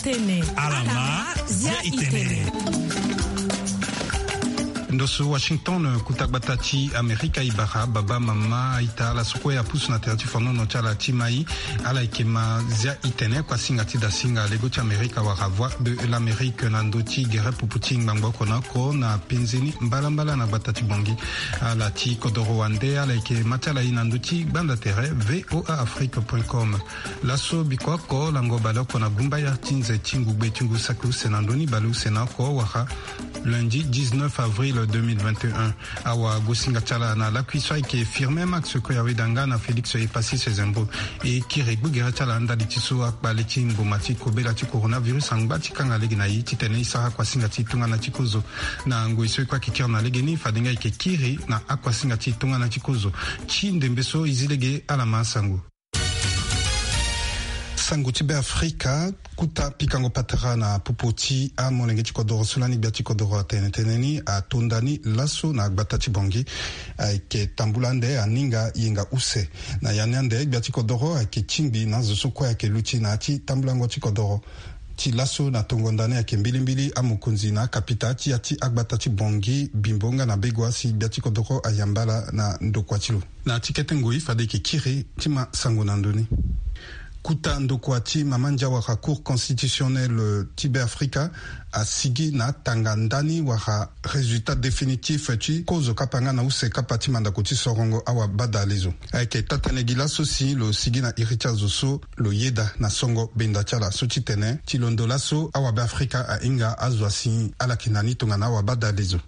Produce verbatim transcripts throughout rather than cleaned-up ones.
Tene. Alama, zia itene. Ndo so Washington, kuta gbata ti Amerika, e bara baba, mama, aita, ala so kue apusu na tere ti fonono ti ala ti mai. Ala yeke ma zia itene, kuasinga ti dasinga lego ti Amerika wala Voix de l'Amérique na ndö ti gere pupu ti ngbangbo oko na oko na penze ni mbalambala na gbata ti Bangui. Ala ti kodoro wande, ala yeke ma ti ala ye na ndö ti gbanda tere V O A Afrique point com. Laso biko oko lango baleoko na gumbaya ti nze ti ngugbe ti ngu saki use na ndö ni baleuse na oko wala lundi dix-neuf avril deux mille vingt et un. Awagosinga ti ala na lakui so ayeke Firmin Max Koyawedanga na Félix Epassi Sezembo. E kiri gbugere ti ala ndali ti so akpale ti mboma ti kobela ti coronavirus angba ti kanga lege na e titene e sara kuasinga ti tongana ti kozo. Na ngoi so e kue ayeke kiri na legeni, fade nga e yeke kiri na akuasinga ti tongana ti kozo. Ti ndembe so e zi lege, ala ma sango. Sango ti Beafrika. Kuta pikango patara na popo ti amolenge ti kodoro so lani gbia ti kodoro atene tënë ni ato nda ni laso na gbata ti Bangui. Ayeke tambula ande aninga yenga use. Na ya ni ande gbia ti kodoro ayeke tingbi na azo so kue ayeke luti na ya ti tambulango ti kodoro. Ti laso na tongo nda ni ayeke mbilimbili amokonzi na akapita ti ya ti agbata ti Bangui, Bimbo nga na Begoua si gbia ti kodoro ayamba ala na ndokua ti lo. Na ti kete ngoi fade e yeke kiri ti ma sango na ndö ni. Kuta ndokua ti mama ndia wala Cour constitutionnelle ti Beafrika asigi na atanga ndani wala résultat définitif ti kozo kapa nga na use kapa ti mandako ti sorongo awabadalezo. Ayeke taa-tënë gi laso si lo sigi na iri ti azo so lo yeda na songo benda ti ala so ti tene ti londo laso awabeafrika ahinga azo asi ala yeke na ni tongana awabadalezo.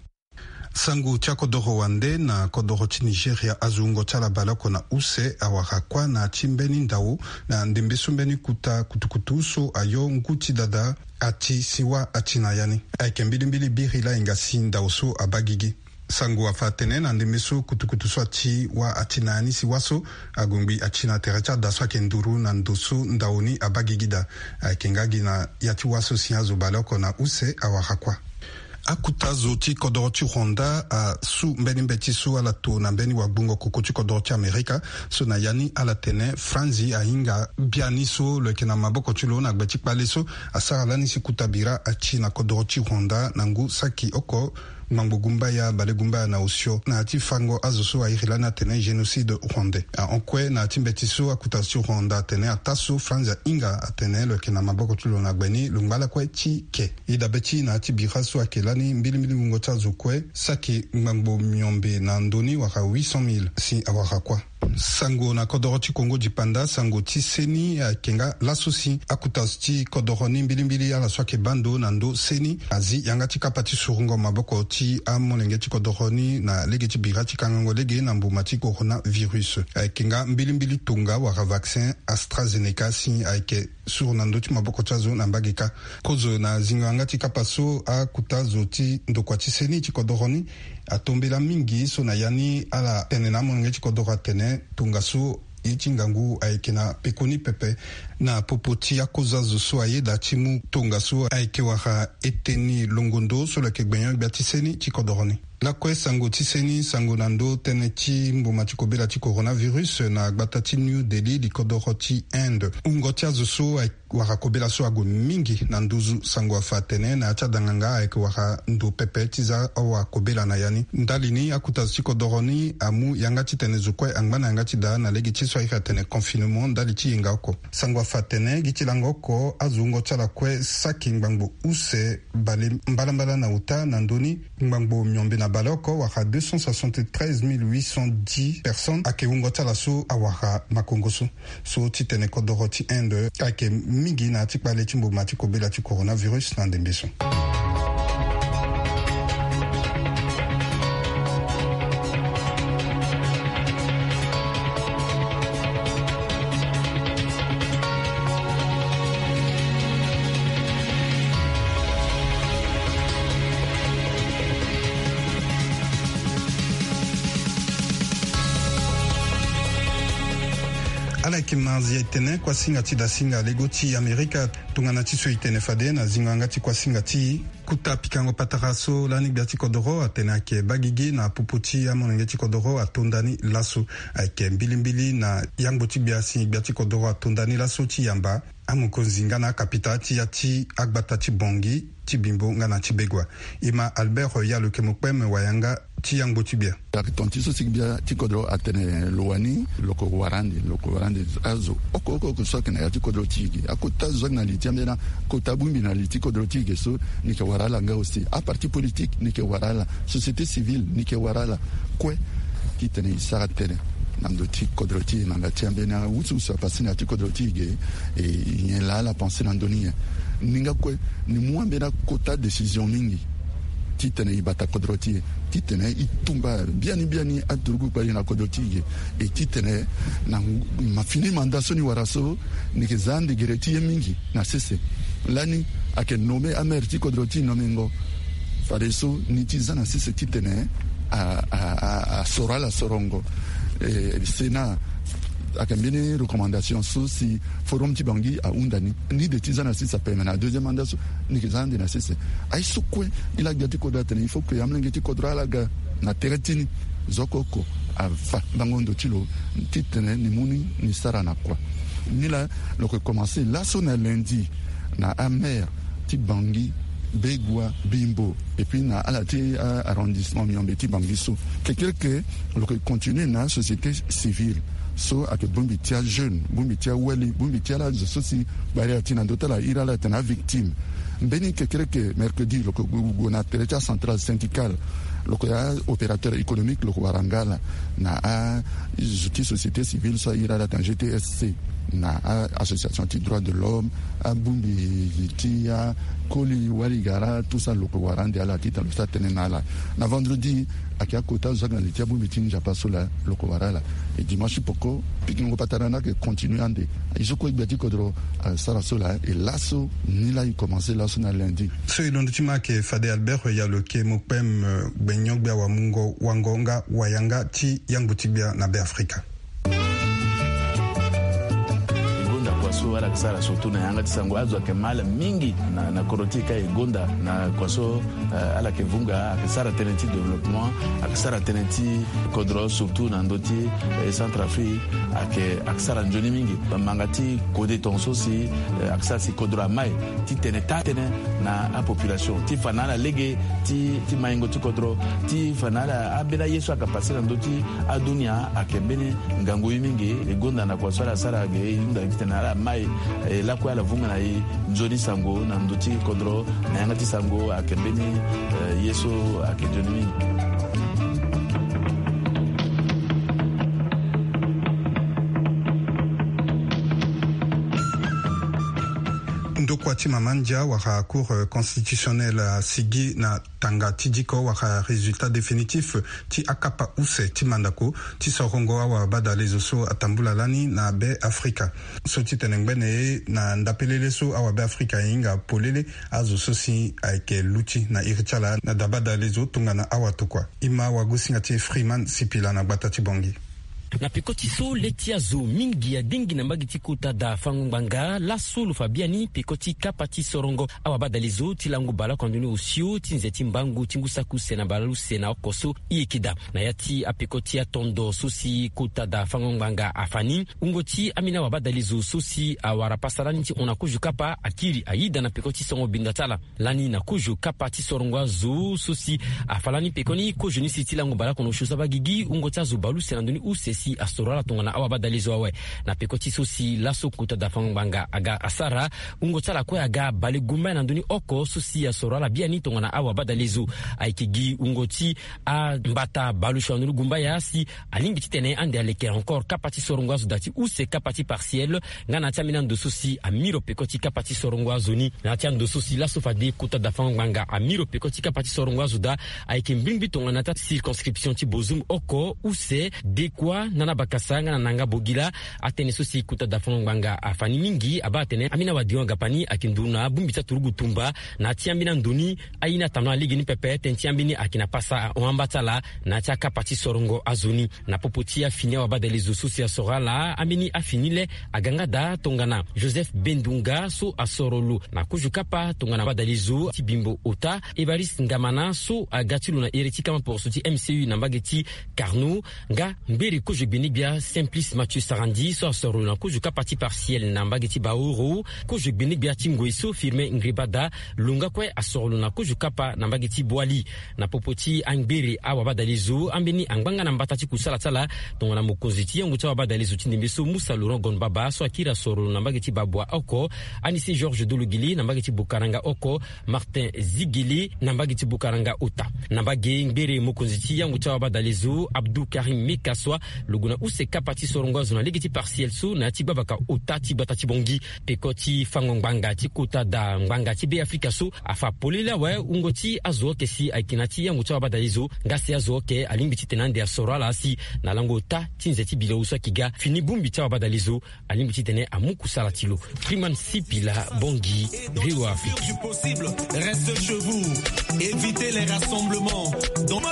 Sango ti akodoro wande na kodoro ti Nigeria, azo wungo ti ala baleoko na use awara kuâ na ya ti mbeni ndao na ndembe so mbeni kuta kutukutu so ayo ngu ti dada ati si wâ ati na ya ni. Ayeke mbilimbili biri laa hinga si ndao so abaa gigi. Sango afa atene na ndembe so kutukutu so ati wâ ati na ya ni si wâ so ague ngbii ati na tere ti ada so ayeke nduru na ndo so ndao ni abaa gigi daa. Ayeke nga gi na ya ti wâ so si azo baleoko na use awara kuâ. Akuta zo ti kodoro ti Rwanda asu mbeni mbeti so ala to na mbeni wagbongo koko ti kodoro ti Amerika. So na ya ni ala tene Franzi ahinga biani so lo yeke na maboko ti lo na gbe ti kpale so asara lani si kuta bira ati na kodoro ti Rwanda na ngu saki oko ngbangbo gumbaya balegumbaya na osio na ya ti fango azo so airi lani atene génocide rwandais. Ahon kue na ya ti mbeti so akuta zo ti Rwanda atene ataa so Franzi ahinga atene lo yeke na maboko ti lo na gbe ni lo ngba lakue ti ke. E dabe ti na ya ti bira so ayeke lani mbilimbili wungo ti azo kue saki ngbangbo miombe na ndö ni wala huit cent mille si awara kuâ. Sango na kodoro ti Kongo dipanda, sango ti seni ayeke nga laso si akuta zo ti kodoro ni mbilimbili ala so ayeke baa ndo na ndö seni azi yanga ti kapa ti surungo maboko ti amolenge ti kodoro ni na lege ti bira ti kangango lege na mbuma ti coronavirus. Ayeke nga mbilimbili tonga wala vaccin AstraZeneca si ayeke suru na ndö ti maboko ti azo na mbage kâ. Kozo na zingo yanga ti kapa so akuta zo ti ndokua ti seni ti kodoro ni atombela mingi so na ya ni ala tene na amolenge ti kodoro atene tongaso ye ti ngangu ayeke na pekoni pepe. Na popo ti akozo azo so ayeda ti mu tongaso ayeke wara eteni longondo so lo yeke gbenyo gbia ti seni ti kodoro ni. Lakue sango ti seni sango na ndö tënë ti mbuma ti kobela ti coronavirus na gbata ti New Delhi, likodoro ti Inde. Wungo ti azo so ayeke wara kobela so ague mingi na nduzu. Sango afa atene na ya ti adanganga ayeke wara ndo pepe ti za awa kobela na ya ni. Ndali ni akuta zo ti kodoro ni amu yanga titene zo kue angba na yanga ti daa na lege ti so airi atene confinement ndali ti yenga oko. Sango afa atene gi ti lango oko azo wungo ti ala kue saki ngbangbo use bale mbalambala na ota na ndö ni ngbangbo miombe na baleoko wala deux cent soixante-treize mille huit cent dix personnes ayeke wungo ti ala so awara makongo so. So titene kodoro ti Inde ayeke mingi na ya ti kpale ti mboma ti kobela ti coronavirus na ndembe so. Ala yeke ma zi etene kuasinga ti dasinga lego ti Amerika. Tongana ti so e tene fade na zingo yanga ti kuasinga ti e. Kuta pikango patara so lani gbia ti kodoro atene ayeke baa gigi na popo ti amolenge ti kodoro ato nda ni laso. Ayeke mbilimbili na yangbo ti gbia si gbia ti kodoro ato nda ni laso ti yamba. amokonzi nga na akapita ti ya ti agbata ti Bangui, ti Bimbo nga na ti Begoua. E ma Albert Yalokemo Kpem, wayanga ti yangbo ti gbia. Tonga ti so si gbia ti kodro atene lo wani, lo ko wara ande, lo ko wara ande azo oko oko oko so ayeke na ya ti kodro ti e ge. Akota zo ayeke na li ti ambeni akota bongbi na li ti kodro ti e ge so, ni yeke wara ala nga aussi. Aparti politique ni yeke wara ala, société civile ni yeke wara ala. Kue titene e sara tënë na ndö ti kodro ti e na nga ti ambeni awusuwusu apassé na ya ti kodro ti e ge. E nyen laa ala pensé na ndö ni nyen? Ni nga kue ni mu ambeni akota décision mingi titene e bata kodro ti e, titene e tumba biani biani aturugu kpali na kodro ti e ge. E titene na ngu- ma fini mandat so ni wara so, ni yeke za ande gere ti ye mingi na sese. Lani ayeke nommé amaire ti kodro ti e nomengo. Fadeso ni ti za na sese titene a, a, a, a soro ala sorongo. E, Sénat ayeke mbeni recommandation so si Forum ti Bangui ahunda ni, ni de ti za na sese ape. Me na deuxième mandat so ni yeke za ande na sese. Aye so kue ni la gbia ti kodro atene il faut que amolenge ti kodro ala ga na tere ti ni. Zo oko oko afa ngango ndo ti lo titene ni mu ni, ni sara na kua. Ni la lo yeke commencé laso na lundi na amaire ti Bangui, Begoua, Bimbo, et puis na ala ti, euh, arrondissement Miombe ti Bangui so. Kekereke lo yeke continué na société civile so ayeke bongbi ti ajeune, bongbi ti awali, bongbi ti ala zo so si gbari ati na ndö ti ala iri ala atene avictime. Mbeni kekereke mercredi lo yeke gue, gue na tere ti acentrale syndicale. Lo yeke aopérateur économique lo yeke wara nga ala na azo ti société civile so airi ala atene G T S C, na a association ti droit de l'homme, abongbi ti akoli wali gara, tout ça lo yeke wara ande ala titene lo sara tënë na ala. Na vendredi ayeke akota zo ayeke na li ti abongbi ti Nzapa so laa lo yeke wara ala. E dimanche poko pikingo patara ni ayeke continué ande. Aye so kue gbia ti kodro asara so laa. E laso ni la e commencé laso na lundi. So e londo ti ma ayeke fade Albert Yalokemo Kpem, gbenyo-gbia wamungo wango nga wayanga ti yangbo ti gbia na Beafrika. E gonda kua so ala yeke sara surtout na yanga ti sango. Azo ayeke ma ala mingi na, na kodro ti e ka e gonda na kua so, eh, ala yeke vunga, ayeke sara tënë ti développement, ayeke sara tënë ti kodro surtout na ndö ti, eh, Centrafrique, ayeke, ayeke sara nzoni mingi. Manga ti kode tonga so si, eh, ayeke sara si kodro amai titene taa tënë na apopulation ti fa na ala lege ti, ti maingo ti kodro, ti fa na ala ambeni aye so ayeke passé na ndö ti adunia ayeke mbeni ngangu ye mingi. E gonda na kua so ala sara ge, e hunda titene ala mai, e lakue ala vunga na e nzoni sango na ndö ti kodro, na yanga ti sango ayeke mbeni, eh, ye so ayeke nzoni mingi. Ndokua ti mama ndia wala Cour, euh, constitutionnelle asigi na tanga ti diko wala résultat définitif ti akapa use ti mandako ti sorongo awabadalezo so atambula lani na Be Afrika. So ti tene ngbene na ndapelele so awabe Afrika ahinga polele azo so si ayeke luti na iri ti ala na dabadalezo tongana awatokua. E ma wagosinga ti Freeman Sipila na gbata ti Bangui. Na peko ti so le ti azo mingi adengi na mbage ti kota da fango ngbanga laso lo fa biani peko ti kapa ti sorongo awabadalezo ti lango baleoko ando ni osio ti nze ti mbangu ti ngu saki use na baleuse na oko so e yeke daa. Na ya ti apeko ti atondo so si kota da fango ngbanga afa ni, wungo ti ambeni awabadalezo so si awara pasa lani ti hon na kozo kapa akiri ayeda na peko ti songo binda ti ala. Lani na kozo kapa ti sorongo azo so si afa lani pekoni kozoni si ti lango baleoko na osio saba gigi wungo ti azo baleuse na ndoni use si asoro ala tongana awabadalezo awe. Na peko ti so si laso kota da fango ngbanga aga asara, wungo ti ala kue aga balegumbaya na ndoni oko so si asoro ala biani tongana awabadalezo. Ayeke gi wungo ti ambata baleosio na ndoni gumbaya si alingbi titene ande aleke encore kapa ti sorongo azo daa ti use kapa ti partiel. Nga na ya ti ambeni ando so si amiro peko ti kapa ti sorongo azo ni. Na ya ti ando so si laso fade kota da fango ngbanga amiro peko ti kapa ti sorongo azo daa, ayeke mbirimbiri tongana na ya ti acirconscription ti Bozoum oko, use, Dekua, Nana Bakasa nga na Nanga Bogila. Atënë so si kota da fango ngbanga afa ni mingi abaa atene ambeni awadengo agapa ni ayeke nduru na abongbi ti aturugu tumba. Na ya ti ambeni ando ni, aye ni atambula na lege ni pepe, tënë ti ambeni ayeke na pasa ahon amba ti ala na ya ti akapa ti sorongo azo ni. Na popo ti afini awabadalezo so si asoro ala, ambeni afini le aga nga daa tongana Joseph Bendunga so asoro lo na kozo kapa tongana badalezo ti Bimbo Ota, Évariste Ngamana so aga ti lo na ere ti kama poroso ti M C U na mbage ti Carnot, nga mbere kozo Kozo gbeni-gbia Simplice Mathieu Sarandi so asoro lo na kozo kapa ti Partiel na mbage ti Baoro. Kozo gbeni-gbia ti ngoi so Firmin Ngribada lo nga kue asoro lo na kozo kapa na mbage ti Boali. Na popo ti angbere awabadalezo ambeni angba nga na mbata ti kusala ti ala tongana mokonzi ti yango ti awabadalezo ti ndembe so Musa Laurent Gonbaba so akiri asoro lo na mbage ti Babwa oko, Anise Georges Dologili na mbage ti Bokaranga oko, Martin Zigili na mbage ti Bokaranga ota. Na mbage ngbere mokonzi ti yango ti awabadalezo Abdou Karim Mekaswa lo gue na use kapa ti sorongo azo na lege ti Partiel so na ya ti gbabaka ota ti gbata ti Bongi. Peko ti fango ngbanga ti kota da ngbanga ti Be Afrika so afa polele awe wungo ti azo oke si ayeke na ya ti yango ti awabadalezo nga si azo oke alingbi titene ande asoro ala asi na lango ota ti nze ti bilongo so ayeke ga fini bongbi ti awabadalezo. Alingbi titene amu kusala ti lo. Freeman Sipila, Bongi, V O A Afrique. Du possible, reste chez vous. Évitez les rassemblements. Donc,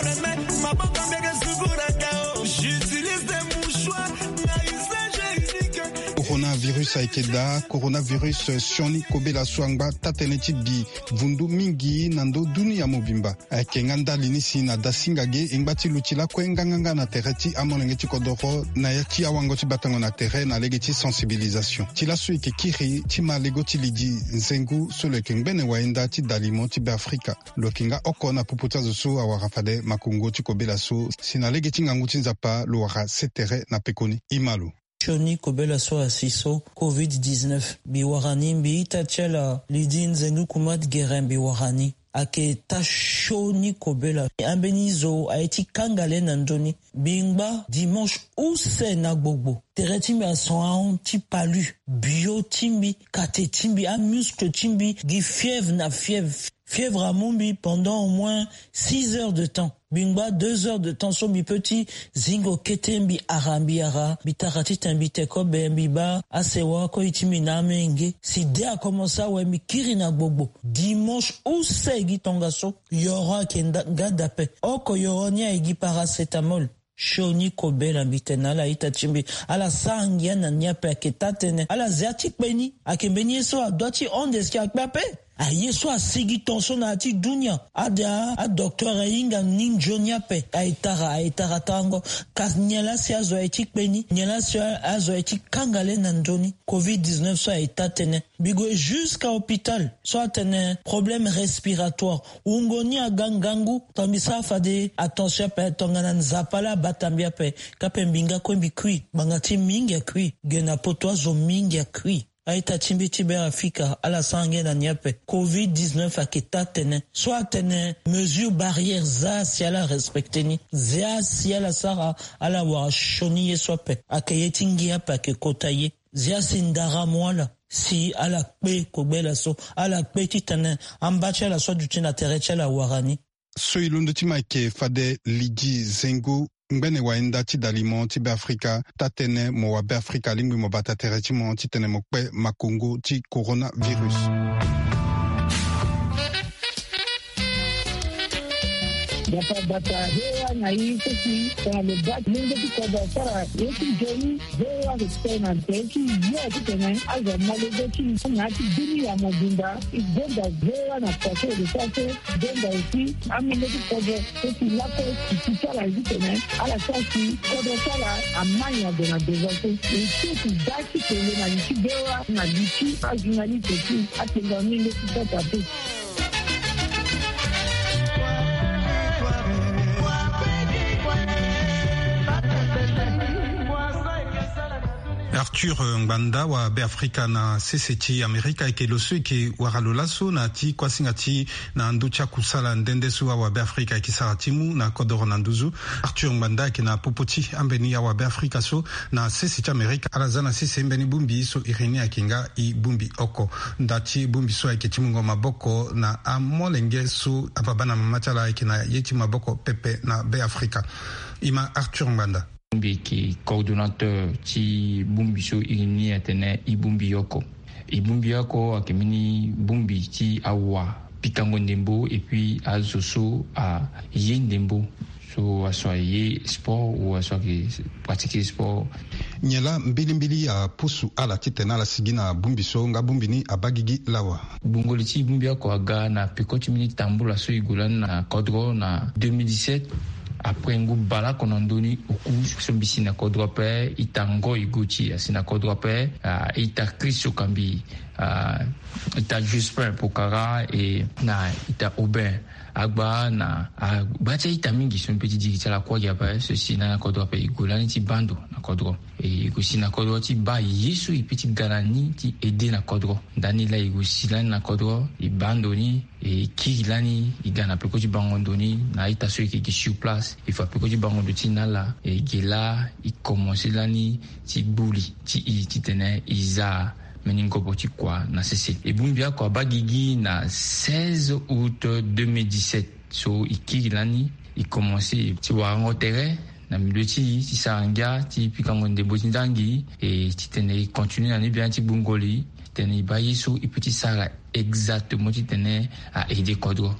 j'utilise des mouchoirs à usage unique. Coronavirus ayeke daa. Coronavirus sioni kobela so angba taa-tënë ti bi vundu mingi na ndö dunia mobimba. Ayeke nga ndali ni si na dasinga ge e ngba ti luti lakue nganganga na tere ti amolenge ti kodoro na ya ti awango ti batango na tere na lege ti sensibilisation. Ti laso e yeke kiri ti ma lego ti lidi nzengu so lo yeke ngbene wayenda ti dalimo ti Beafrika. Lo yeke nga oko na popo ti azo so awara fade makongo ti kobela so si na lege ti ngangu ti Nzapa lo wara se tere na pekoni. E ma lo. Sioni kobela so asi so, covid dix-neuf, mbi wara ni, mbi ita ti ala Lydie Nzengu Kumat Guérin, mbi wara ni. Ayeke taa sioni kobela. Ambeni zo aye ti kanga le na ndö ni. Mbi ngba dimanche use na gbogbo. Tere ti mbi ason ahon ti palu. Bio ti mbi, kate ti mbi, amuscle ti mbi gi fièvre na fièvre. Fièvre amu mbi pendant au moins six heures de temps. Mbi ngba deux heures de temps so mbi peut ti zingo kete, mbi ara, mbi ara, mbi tara titene mbi te kobe, mbi baa asewa koi ti mbi na amenge. Si de akomense awe, mbi kiri na gbogbo. Dimanche use gi tongaso, yoro ayeke nda-, nga daa ape. Oko yoro ni aye gi paracétamol. Sioni kobela, mbi tene na ala ita ti mbi, ala sara ngia na ni ape, ayeke taa-tënë. Ala zia ti kpe ni, ayeke mbeni ye so adua ti hon de si akpe ape. Aye so asigi ton so na ya ti dunia. Ada adocteur ahinga ni nzoni ape. Aye tara, aye tara tarango. Kasi nyen laa si azo aye ti kpe ni? Nyen laa si azo aye ti kanga le na ndö ni? Covid dix-neuf so aye taa-tënë. Mbi gue jusqu'à hôpital so atene problème respiratoire. Wungo ni aga ngangu. Tongana mbi sara fade attention ape, tongana Nzapa laa abata mbi ape, ka mpe mbi nga kue mbi kui. Ngbanga ti mingi akui. Ge na poto azo mingi akui. A-ita ti mbi ti Beafrika, ala sara ngia na ni ape. Covid dix-neuf ayeke taa-tënë. So atene mesure barrière, zia si ala respecter ni. Zia si ala sara, ala wara sioni ye so ape. Ayeke ye ti ngia ape ayeke kota ye. Zia si ndara amu ala, si ala kpe kobela so, ala kpe titene amba ti ala so aduti na tere ti ala awara ni. So e londo ti mo ayeke fade Lydie Zengo, ngbene wayenda ti dalimo ti Beafrika, taa-tënë mo wa Beafrika alingbi mo bata tere ti mo titene mo kpe makongo ti coronavirus. Bata bata, he wa na i seki tongana lo baa ti lenge ti kodro asara ye ti nzoni. Ve wa respect na tere ti ye titene azo amolenge ti na ya ti dunia mobimba. E gonda ve wa na pase de sase. Gonda aussi amolenge ti kodro so ti lakue ti ti ti ala titene ala sara si kodro ti ala ama nyen ade na devant so. E so ti baa ti kele na li ti ve wa na li ti ajournaliste ti atenga amolenge ti kodro ape. Arthur Ngbanda wa Beafrika na sese ti Amerika ayeke lo so e yeke wara lo laso na ya ti kuasinga ti na ndö ti akusala nde nde so awa Beafrika ayeke sara ti mu na kodoro na nduzu. Arthur Ngbanda ayeke na popo ti ambeni awa Beafrika so na sese ti Amerika. Ala za na sese mbeni bongbi so iri ni ayeke nga e bongbi oko. Nda ti bongbi so ayeke ti mungo maboko na amolenge so ababa na mama ti ala ayeke na ye ti maboko pepe na Beafrika. E ma Arthur Ngbanda. Bongbi ayeke coordonnateur ti bongbi so iri ni atene e bongbi oko. E bongbi oko ayeke mbeni bongbi ti awa pikango ndembo et puis azo so aye ndembo, so aso aye sport ou aso ayeke pratiquer sport. Nyen laa mbilimbili apusu ala titene ala sigi na bongbi so nga bongbi ni abaa gigi lawa? Gbungo li ti bongbi oko aga na peko ti mbeni tambula so e gue lani na kodro na deux mille dix-sept. Après ngu baleoko na ndö ni oku so mbi si na kodro ape, ita Ngoy Gauthier asi na kodro ape, ah, ita Christ Okambi, ah, ita Jospin Pokara, e na ita Aubin Agba, na agba ti a-ita mingi so mbi pe ti diri ti ala kuâ gi ape, so si na kodro ape, e gue lani ti baa ndo na kodro. E, e gue si na kodro ti baa ye so e pe ti ga na ni ti aidé na kodro. Ndani laa e gue si lani na kodro, e baa ndo ni, e kiri lani, e ga na peko ti bango ndo ni na a-ita so e yeke gi sur place. E fa peko ti bango ndo ti na ala, e ge laa e komanse lani ti gbu li ti e titene e za mbeni ngobo ti kua na sese. E bongbi oko abaa gigi na seize août deux mille dix-sept. So e kiri lani, e komanse ti warango tere na milieu ti e, ti sara ngia ti pikango ndembo ti nzangi, e titene e continue na ni bien ti gbungo li, titene e baa ye so e pe ti sara exactement titene a aidé kodro.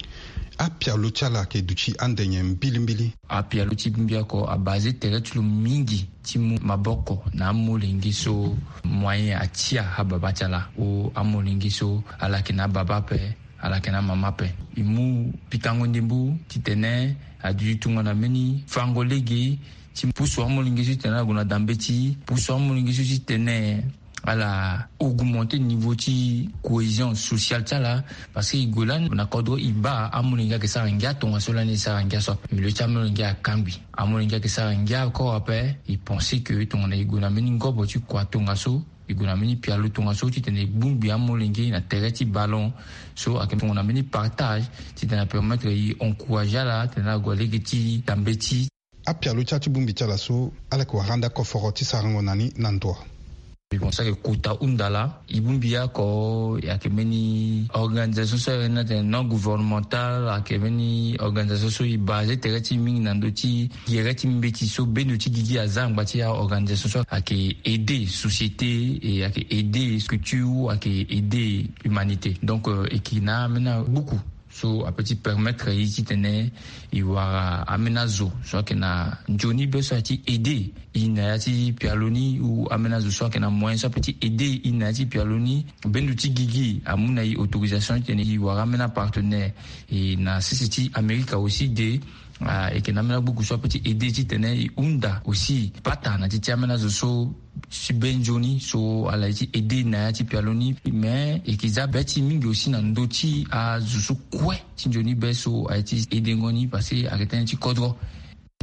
Apialo ti ala ayeke duti ande nyen mbilimbili? Apialo ti bongbi oko abase tere ti lo mingi ti mu maboko na amolenge so moyen atia ababa ti ala, ou amolenge so ala yeke na ababa ape, ala yeke na amama ape. E mu pikango ndembo titene aduti tongana mbeni fango lege ti pusu amolenge so titene ala gue na dambeti, pusu amolenge so titene ala augmenter niveau ti cohésion sociale ti ala. Parce que e gue lani na kodro, e baa amolenge ayeke sara ngia tongaso lani e sara ngia so ape. Milieu ti amolenge akangbi. Amolenge ayeke sara ngia encore ape. E pense que tongana e gue na mbeni ngobo ti kua tongaso, e gue na mbeni pialo tongaso titene e bongbi amolenge na tere ti ballon, so ayeke tongana mbeni partage titene apermettre e encourager ala titene ala gue lege ti dambeti. Apialo ti ala ti bongbi ti ala so, ala yeke wara ande akoforo ti sarango na ni na ndo? Mbi pense ayeke kota hunda laa. E bongbi oko ayeke mbeni organisation so e na tene non gouvernemental, ayeke mbeni organisation so e base tere ti e mingi na ndö ti gere ti mbeti so bendo ti gigi aza angba ti a-organisation so ayeke aider société, e ayeke aider structure, ayeke aider humanité. Donc, euh, e yeke na ambeni agbuku so ape ti permettre e titene e wara ambeni azo so ayeke na nzoni be so aye ti aider e na ya ti pialo ni, ou ambeni azo so ayeke na moyen so ape ti aider e na ya ti pialo ni. Bendo ti gigi amu na e autorisation titene e wara ambeni apartenaire. E na sese ti Amerika aussi de, ah, e yeke na ambeni agbuku so ape ti aider titene e hunda aussi pata na ti ti ambeni azo so ti be nzoni so ala ye ti aider na ya ti pialo ni. Mais e yeke za be ti e mingi aussi na ndö ti azo so kue ti nzoni be so aye ti aidengo ni, parce que ayeke tënë ti kodro.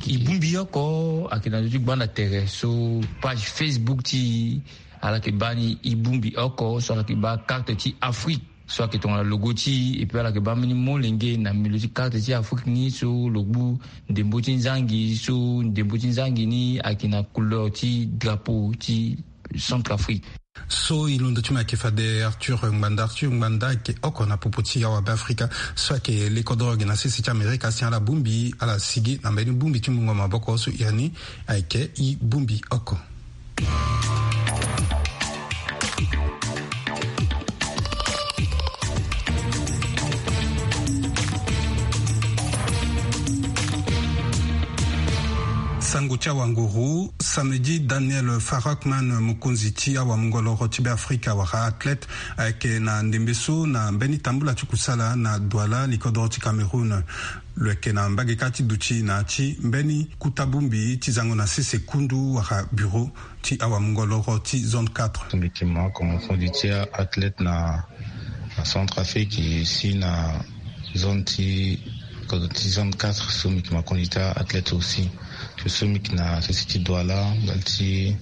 E bongbi oko ayeke na ndö ti gbanda tere so page Facebook ti e, ala yeke baa ni e bongbi oko so ala yeke baa carte ti Afrique so ayeke tongana logo ti e, et puis ala yeke baa mbeni molenge na milieu ti carte ti Afrique ni so lo gbu ndembo ti nzangi, so ndembo ti nzangi ni ayeke na couleur ti drapeau ti Centrafrique. So e londo ti mo ayeke fade Arthur Ngbanda. Arthur Ngbanda ayeke oko na popo ti awabe Afrika so ayeke le kodro ge na sese ti Amerika si ala bongbi, ala sigi na mbeni bongbi ti mungo maboko so ya ni ayeke e bongbi oko. Sango ti awanguru. Samedi, Daniel Farrakman, mokonzi ti awamungoloro ti Beafrika wala athlète, ayeke na ndembe so na mbeni tambula ti kusala na Douala, likodoro ti Cameroun. Lo yeke na mbage kâ ti duti na ya ti mbeni kuta bongbi ti zango na sese kundu wala bureau ti awamungoloro ti zone quatre. Mbi yeke ma kongo fodi ti athlète na, na Centrafrique, si na zone ti, ti zone quatre, so mbi yeke ma kongo ti athlète aussi. Ti so mbi yeke na sese ti Douala, ndali ti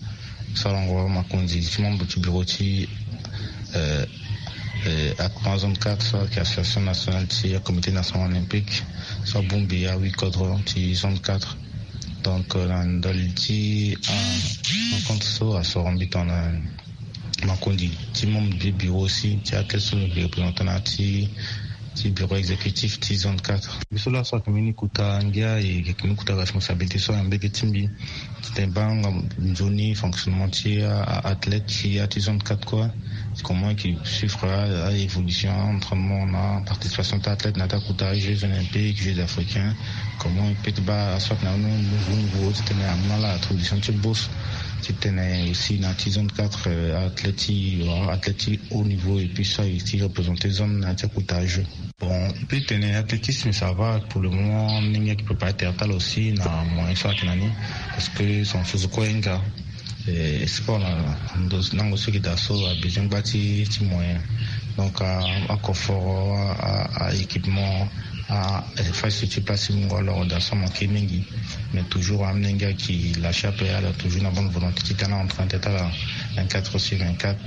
sarango makonzi ti membre ti bureau ti, euh, euh, ACMA zone quatre, so ayeke Association Nationale ti Comité National Olympique, so abongbi ahuit kodro ti zone quatre. Donc, euh, na ndali ti, ah, rencontre so asoro mbi tongana makonzi ti membre ti bureau aussi, ti athlète so mbi yeke représentant na ya ti, ti bureau exécutif ti zone quatre. Mbi so laa so ayeke mbeni kota ngia, e yeke mbeni kota responsabilité so na mbage ti mbi. Titene baa nga nzoni fonctionnement ti a, a athlète ti ya ti zone quatre kue. Comment e yeke suivre a, a évolution, entraînement na participation ti athlète na ya ti akota Jeux Olympiques, Jeux Africains. Comment e peut ti baa aso ayeke na ni nouveau nouveau titene amu na ala attribution ti bourse, titene aussi na ti zone quatre, euh, athlète ti wala athlète ti haut niveau et puis so aye ti représenter zone na ya ti akota jeu. Bon, e peut tene athlétisme ça va pour le moment, ndenge ayeke préparer tere ti ala aussi na moyen so ayeke na ni, parce que son physique ahinga. Eh, sport na ndo nango so e yeke daa so abezoin gba ti ti moyen. Donc a, akoforo, a, a équipement, a infrastructure, place ti mungo alors daa so amanke mingi. Mais toujours amolenge ayeke lâcher ape, ala toujours na bonne volonté ti tene a entraîner ti ala vingt-quatre sur vingt-quatre.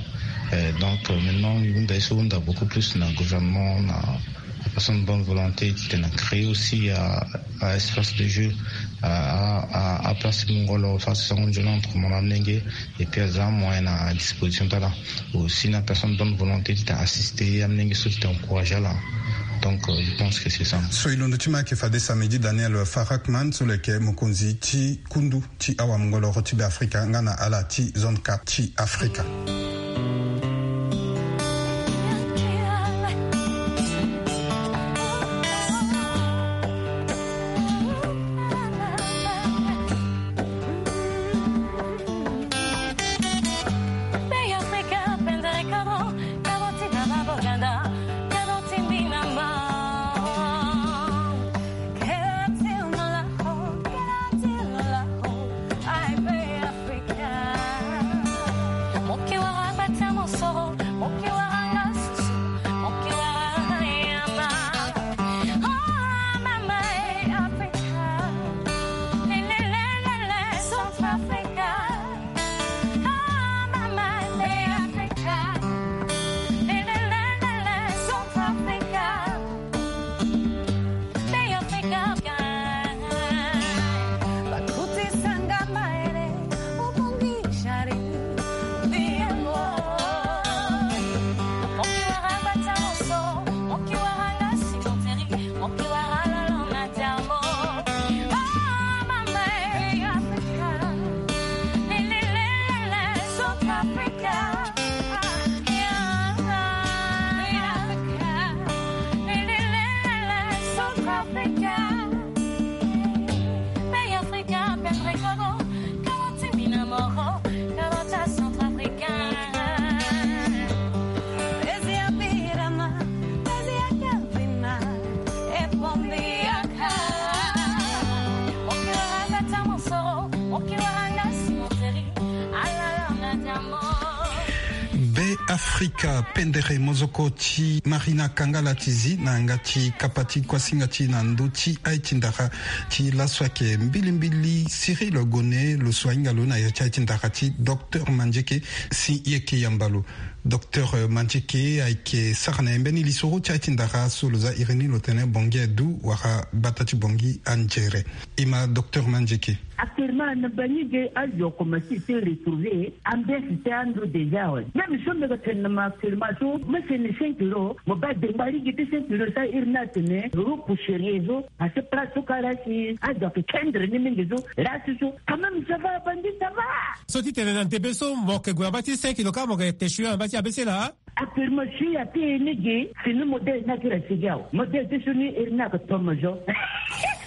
Eh, donc euh, maintenant e hunda ye so e hunda beaucoup plus na gouvernement, na apersonne bonne volonté titene a créer aussi a, a espace de jeu, a, a, a place ti mungo alors so asango nzoni entre mo na amolenge. Et puis aza amoyen na disposition ti ala aussi na personne bonne volonté titene assister amolenge so titene encourager ala. Donc euh, je pense que c'est ça. So e londo ti ma ayeke fade Samedi Daniel Farakman so lo yeke mokonzi ti kundu ti awamungoloro ti Beafrika nga na ala ti zone quatre ti Afrika. Be Afrika, pendere mozoko ti Marina Kangala ti zi na yanga ti kapa ti kuasinga ti na ndö ti aye ti ndara ti laso ayeke mbilimbili Cyril Gone, lo so ahinga lo na ya ti aye ti ndara ti Docteur Mandieke, si e yeke yamba lo. Docteur Mandieke ayeke sara na e mbeni lisoro ti aye ti ndara so lo za iri ni lo tene Bongi adu wala bata ti Bongi anzere. E ma Docteur Mandieke. Actuellement na bangi ge azo akomanse ti retrouver ambiance ti ando déjà awe. Même so mbi yeke tene na mo actuellement so mo sene cinq kilo, mo baa dengba lege ti cinq kilo so airi ni atene repousserier so. Parce que place so kara si azo ayeke kendre ni mingi so, là so, quand même ça va, abandi ça va. So ti tene na ndebe so mo yeke gue na baa ti cinq kilo kâ, mo yeke te sui na baa ti A B C laa. Actuellement si ate ni ge, fini modèle ni akiri asigi awe. Modèle ti so ni iri ni ayeke tomo zo.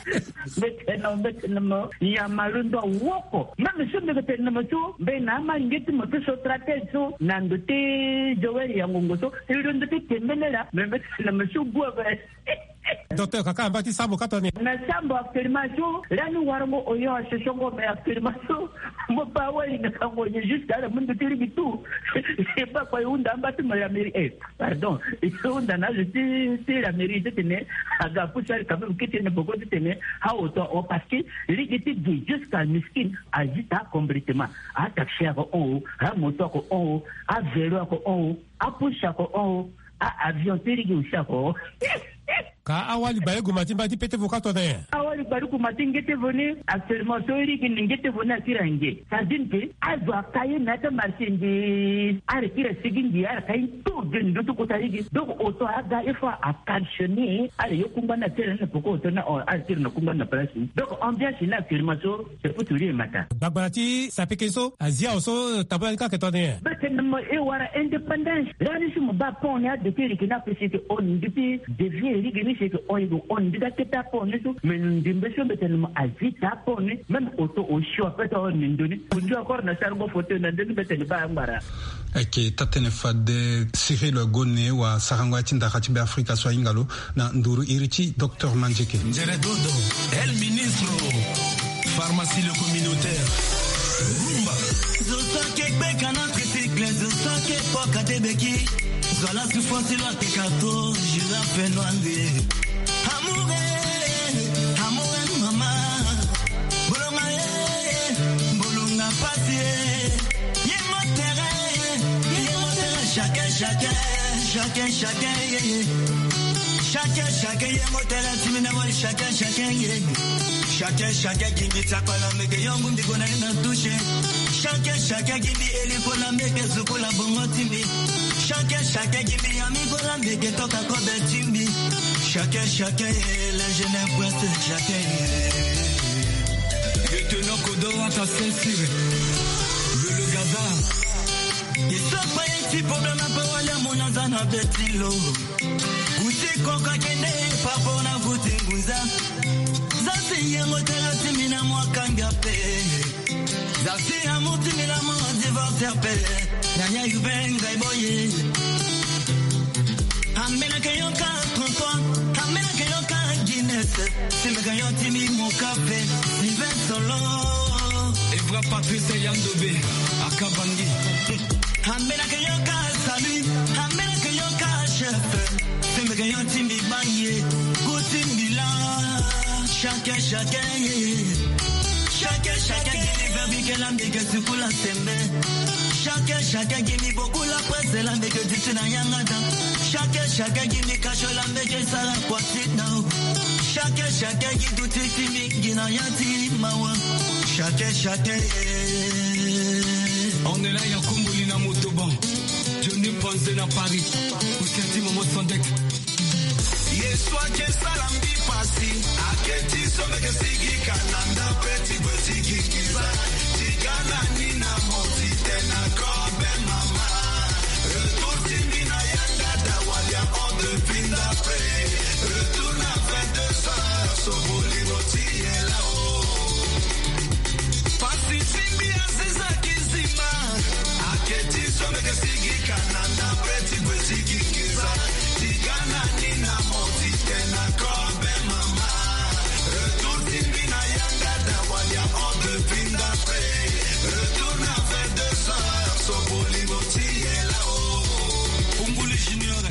Mbi tene na mo, mbi tene na mo, nyama londo awoko. Même so mbi yeke tene na mo so, mbi na ama nge ti mo ti so tratele so na ndo ti Joël ya ngongo so, e londo ti tembele laa, mais mbi tene na mo so gue ape. Docteur, kaka na mba ti sambo ka tongana nyen? Na sambo actuellement so, lani warango oyo asosongo, mais actuellement so mo baa wali na kango nyen jusqu'à la mundu ti ligi tout. E baa kua e hunda amba ti mo la mairie, eh, pardon, e hunda na azo ti, ti la mairie titene aga apusu ali quand même kete na boko titene aoto ahon, parce que ligi ti gi jusqu'à miskin azi ta complètement. Ataxi ako hon o, amoto ako hon o, avelo ako hon o, apusu ako hon o, a avion ti ligi aussi ako hon o. Ka awali gba ye gue ma ti mba ti pete vo ka tongana nyen? Awali gba ti gue ma ti ngete vo ni, actuellement so ligi ni ngete vo ni akiri ange. Ça veut dire que azo aka ye na ya ti amarché nde, ala kiri asigi nde, ala ka ye tout de ndö ti kota ligi. Donc oto aga il faut a calcionner, ala ye kungba ni atene na poko oto ni, ala tiri na kungba ni na place ni. Donc ambiance ni actuellement so c'est pour tout le matin. Gbagbara ti sapeke so azi awe so tabula ni ka ayeke tongana nyen? Na mo e wara indépendance. Lani si mo baa pont ni, adokere yeke ni ape si yeke hon, mbi devier lege ni si yeke hon, yeke hon. Mbi ga kete apont ni so, me ndembe so mbi tene mo azi taa apont ni. Même auto osio ape ti hon ni ndo ni. Ondio encore na sarango fauteuil na ndo ni, mbi tene baa ngbara. Ayeke taa-tënë fade Cyril Gone wa sarango ya ti ndara ti Beafrika so ahinga lo na nduru iri ti Docteur Mandieke. Nzere dodo, El Ministro, Pharmacie le Communautaire, Rumba. Zo so ayeke gbeka na tricycle, zo so ayeke poka te beki. Zo ala souffrance lo ayeke kato, girafe noir nde. Amour, eh, amour, eh, mama. Bolonga, eh, bolonga pasi, eh. Ye motere, ye motere, chacun, chacun, chacun, chacun, yeah, yeah. Chacun, chacun, ye motere, ti mbi na wali, chacun, chacun, yeah. Chacun, chacun, gi mbi ti akpala meke yongu mbi kona ni na touche. Chacun, chacun, gi mbi eli kola meke sukola bongo ti mbi. Chacun, chacun, gi mbi ya mi kola meke toka kobe ti mbi. Chacun, chacun, eh, l'ingénieur prince, chacun, eh. Lieutenant Kodo, à ta ceinture. Le, le Gaza. Iso pa ye ti problème ape wali amona za na be ti lo. Kuti koko akende par rapport na kuti ngunza. Za si yengo tera ti mbi na mwa kanga pe. Za si amour ti mbi na mwa divorce ape. Yaya yu be ngai boye. Ambela ke yo ka trente-trois, ambela ke yo ka Guinness. Si meka yo ti mbi mo kafe, Sylvain Solo. Evra Patrice Yandobe, Akabangi. Ambela ke yo ka Salut, ambela ke yo ka chef. Si meka yo ti mbi bangi, kuti mbi la. Chacun, chacun, yeah. Chacun, chacun, gi mbi verbi ke la mbi ke sukula sembe. Chacun, chacun, gi mbi bokula presse la mbi ke duti na yanga dan. Chacun, chacun, gi mbi kasho la mbi ke sara kwati dan. Chacun, chacun, gi duti ti mbi gi na ya ti mawa. Chacun, chacun, yeah. On est là, ya Kumbuli na Motoban. Johnny Panze na Paris. Ousenti Momo Sandek. Ye so ayeke sala mbi pasi, ayeke ti so mbi yeke sigi ka na ndapre ti gue ti gi nginza. Ti ga na ni na mo ti tene na kobe mama. Retour ti mbi na yanga da wali ahon depuis ndapre. Retour na vingt-deux heures, so bolingo ti ye lao. Pasi ti mbi aziza kizima. Ayeke ti so mbi yeke sigi ka na ndapre ti gue ti gi nginza. Ti ga na ni na mo ti tene na kobe mama. Retour ti mbi na yanga da wali ahon depuis ndapre. Retour na vingt-deux heures, so bolingo ti ye lao. Kumbuli Junior.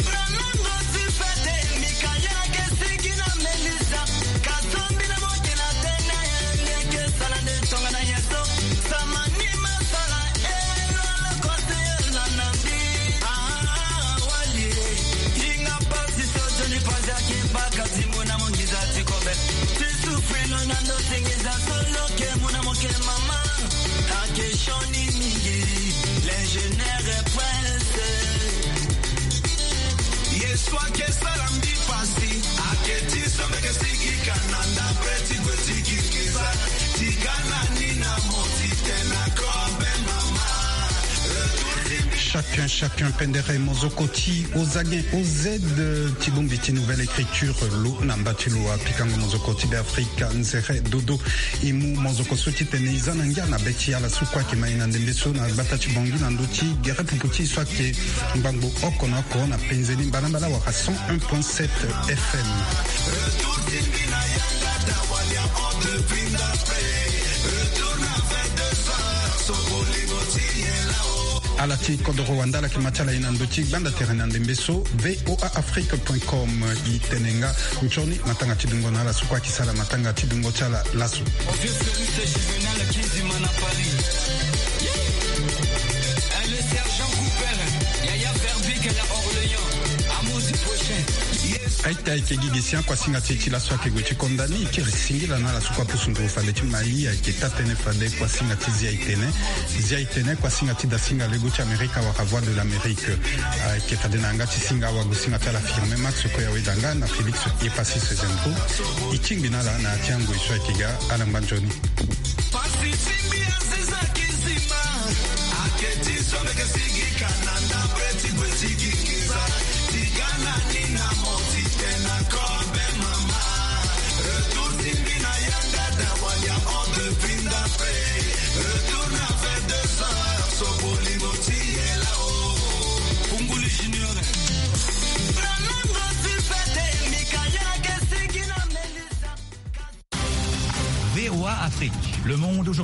Franango ti fete, Mikael ayeke sigi na Melissa. Kasombi na moke na tene, ndeke sala nde tongana ye so. Samani masala, elo na kote ela na mbi. Ah, wali, hinga pasi so Johnny Panze ayeke baka ti mona mo nginza ti kobe. Ti souffrir lo na ndo ti nginza so lo yeke mona mo ke mama. Ayeke sioni mingi, l'ingénieur est pressé. Ye so ayeke sara mbi pasi, ayeke ti so mbi yeke sigi ka na ndapre ti gue ti gi nginza. Ti ga na ni na mo ti tene na kobe mama. Retour ti mbi. Chacun, chacun, pendere mozoko ti Ozagen O Z, ti bongbi ti Nouvelle Écriture, lo na mba ti lo apikango mozoko ti Beafrika, nzere dodo. E mu mozoko so titene e za na ngia na be ti ala so kue ayeke ma e na ndembe so na gbata ti Bangui na ndö ti gere pupu ti e so ayeke ngbangbo oko na oko na penze ni mbalambala wala cent un point sept F M. Ala ti kodoro wanda ala yeke ma ti ala e na ndö ti gbanda tere na ndembe so, V O A Afrique point com. E tene nga nzoni matanga ti dungo na ala so kue ayeke sara matanga ti dungo ti ala laso. Vieux Ferrus et Juvenal Kizima na Paris. Eh, le sergent Cooper, Yaya Verbeek na Orléans, amour du prochain. Aita ayeke gi gi sian kuasinga ti e ti laso ayeke gue ti konda ni, e kiri singila na ala so kue apusu nduru fade ti mai, ayeke taa-tënë fade kuasinga ti Zia e tene. Zia e tene kuasinga ti dasinga lego ti Amerika wala Voix de l'Amérique. Ayeke fade na yanga ti singa awagosinga ti ala Firmin Max Koya Wedanga na Félix Yepassis Zempo. E tingbi na ala na ya ti angoi so ayeke ga, ala ngba nzoni. Afrique, le monde aujourd'hui.